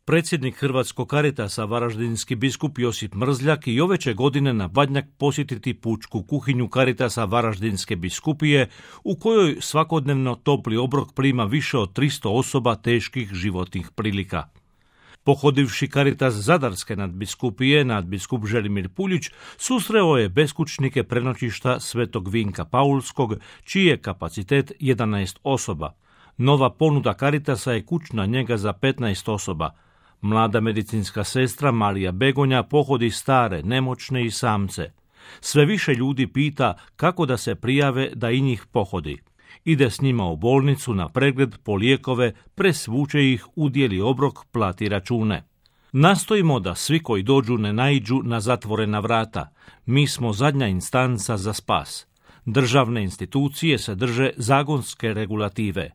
Predsjednik Hrvatskog Caritasa, varaždinski biskup Josip Mrzljak, i ove će godine na Badnjak posjetiti pučku kuhinju Caritasa Varaždinske biskupije, u kojoj svakodnevno topli obrok prima više od 300 osoba teških životnih prilika. Pohodivši Caritas Zadarske nadbiskupije, nadbiskup Želimir Puljić susreo je beskućnike prenoćišta Svetog Vinka Paulskog, čiji je kapacitet 11 osoba. Nova ponuda Caritasa je kućna njega za 15 osoba. Mlada medicinska sestra Marija Begonja pohodi stare, nemoćne i samce. Sve više ljudi pita kako da se prijave da i njih pohodi. Ide s njima u bolnicu na pregled, po lijekove, presvuče ih, udijeli obrok, plati račune. Nastojimo da svi koji dođu ne naiđu na zatvorena vrata. Mi smo zadnja instanca za spas. Državne institucije se drže zakonske regulative.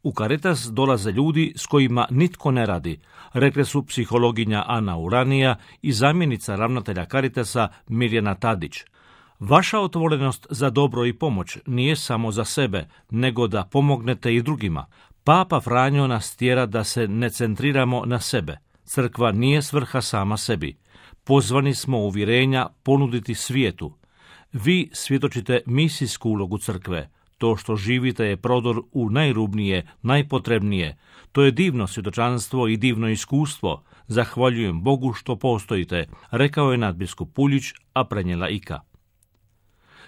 U Caritas dolaze ljudi s kojima nitko ne radi, rekle su psihologinja Ana Uranija i zamjenica ravnatelja Caritasa Mirjana Tadić. Vaša otvorenost za dobro i pomoć nije samo za sebe, nego da pomognete i drugima. Papa Franjo nas tjera da se ne centriramo na sebe. Crkva nije svrha sama sebi. Pozvani smo uvjerenja ponuditi svijetu. Vi svjedočite misijsku ulogu crkve. To što živite je prodor u najrubnije, najpotrebnije. To je divno svjedočanstvo i divno iskustvo. Zahvaljujem Bogu što postojite, rekao je nadbiskup Puljić, a prenijela Ika.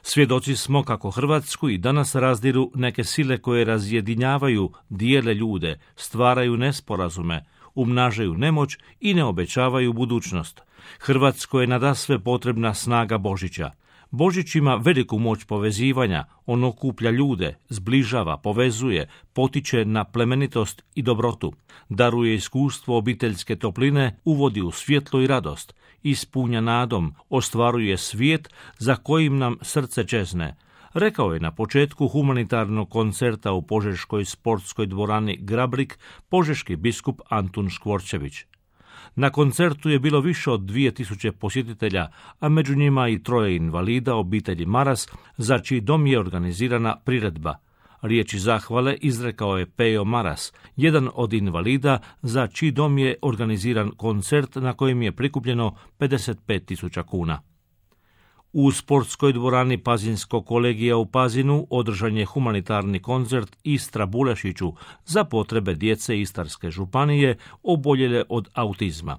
Svjedoci smo kako Hrvatsku i danas razdiru neke sile koje razjedinjavaju, dijele ljude, stvaraju nesporazume, umnažaju nemoć i ne obećavaju budućnost. Hrvatskoj je nadasve potrebna snaga Božića. Božić ima veliku moć povezivanja, on okuplja ljude, zbližava, povezuje, potiče na plemenitost i dobrotu, daruje iskustvo obiteljske topline, uvodi u svjetlo i radost, ispunja nadom, ostvaruje svijet za kojim nam srce čezne, rekao je na početku humanitarnog koncerta u Požeškoj sportskoj dvorani Grabrik požeški biskup Antun Škvorčević. Na koncertu je bilo više od 2000 posjetitelja, a među njima i 3 invalida obitelji Maras, za čiji dom je organizirana priredba. Riječi zahvale izrekao je Pejo Maras, jedan od invalida za čiji dom je organiziran koncert na kojem je prikupljeno 55.000 kuna. U sportskoj dvorani Pazinskog kolegija u Pazinu održan je humanitarni koncert Istra Bulešiću za potrebe djece Istarske županije oboljele od autizma.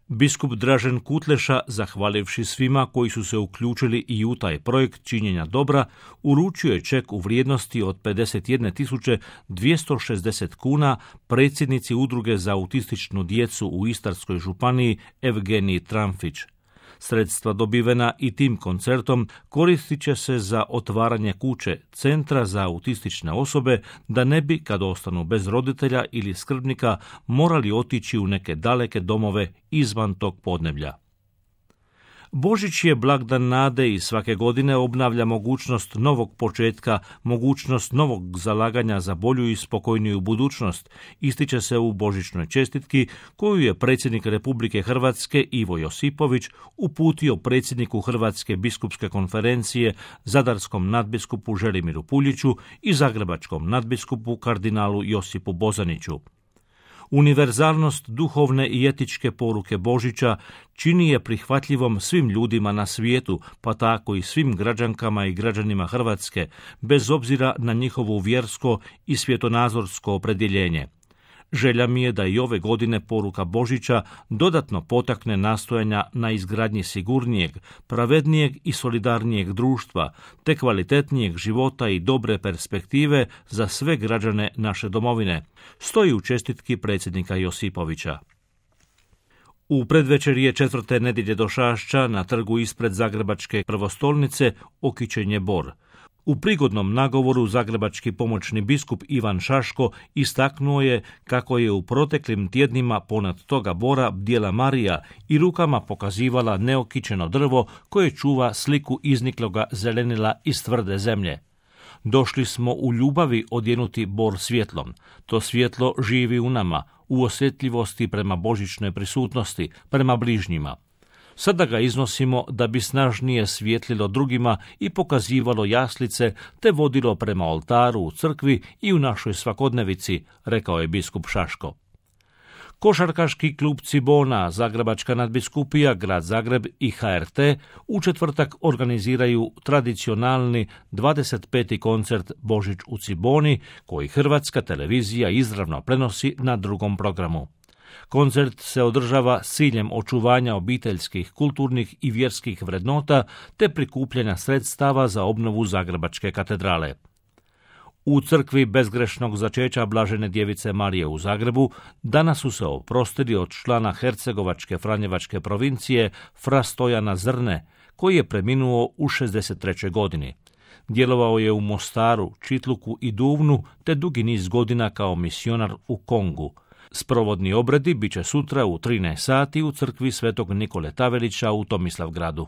Biskup Dražen Kutleša, zahvalivši svima koji su se uključili i u taj projekt činjenja dobra, uručio je ček u vrijednosti od 51.260 kuna predsjednici Udruge za autističnu djecu u Istarskoj županiji Evgeniji Tramfić. Sredstva dobivena i tim koncertom koristit će se za otvaranje kuće Centra za autistične osobe, da ne bi, kad ostanu bez roditelja ili skrbnika, morali otići u neke daleke domove izvan tog podneblja. Božić je blagdan nade i svake godine obnavlja mogućnost novog početka, mogućnost novog zalaganja za bolju i spokojniju budućnost, ističe se u božićnoj čestitki koju je predsjednik Republike Hrvatske Ivo Josipović uputio predsjedniku Hrvatske biskupske konferencije, zadarskom nadbiskupu Želimiru Puljiću i zagrebačkom nadbiskupu kardinalu Josipu Bozaniću. Univerzalnost duhovne i etičke poruke Božića čini je prihvatljivom svim ljudima na svijetu, pa tako i svim građankama i građanima Hrvatske, bez obzira na njihovo vjersko i svjetonazorsko opredjeljenje. Želja mi je da i ove godine poruka Božića dodatno potakne nastojanja na izgradnji sigurnijeg, pravednijeg i solidarnijeg društva, te kvalitetnijeg života i dobre perspektive za sve građane naše domovine, stoji u čestitki predsjednika Josipovića. U predvečerje 4. nedjelje Došašća na trgu ispred Zagrebačke prvostolnice okićen je bor. U prigodnom nagovoru zagrebački pomoćni biskup Ivan Šaško istaknuo je kako je u proteklim tjednima ponad toga bora bdjela Marija i rukama pokazivala neokićeno drvo koje čuva sliku iznikloga zelenila iz tvrde zemlje. Došli smo u ljubavi odjenuti bor svjetlom. To svjetlo živi u nama, u osjetljivosti prema božićnoj prisutnosti, prema bližnjima. Sada ga iznosimo da bi snažnije svjetlilo drugima i pokazivalo jaslice, te vodilo prema oltaru u crkvi i u našoj svakodnevici, rekao je biskup Šaško. Košarkaški klub Cibona, Zagrebačka nadbiskupija, Grad Zagreb i HRT u četvrtak organiziraju tradicionalni 25. koncert Božić u Ciboni, koji Hrvatska televizija izravno prenosi na drugom programu. Koncert se održava s ciljem očuvanja obiteljskih, kulturnih i vjerskih vrednota te prikupljanja sredstava za obnovu Zagrebačke katedrale. U crkvi bezgrešnog začeća Blažene djevice Marije u Zagrebu danas su se oprostili od člana Hercegovačke Franjevačke provincije fra Stojana Zrne, koji je preminuo u 63. godini. Djelovao je u Mostaru, Čitluku i Duvnu te dugi niz godina kao misionar u Kongu. Sprovodni obredi bit će sutra u 13 sati u crkvi Svetog Nikole Tavelića u Tomislavgradu.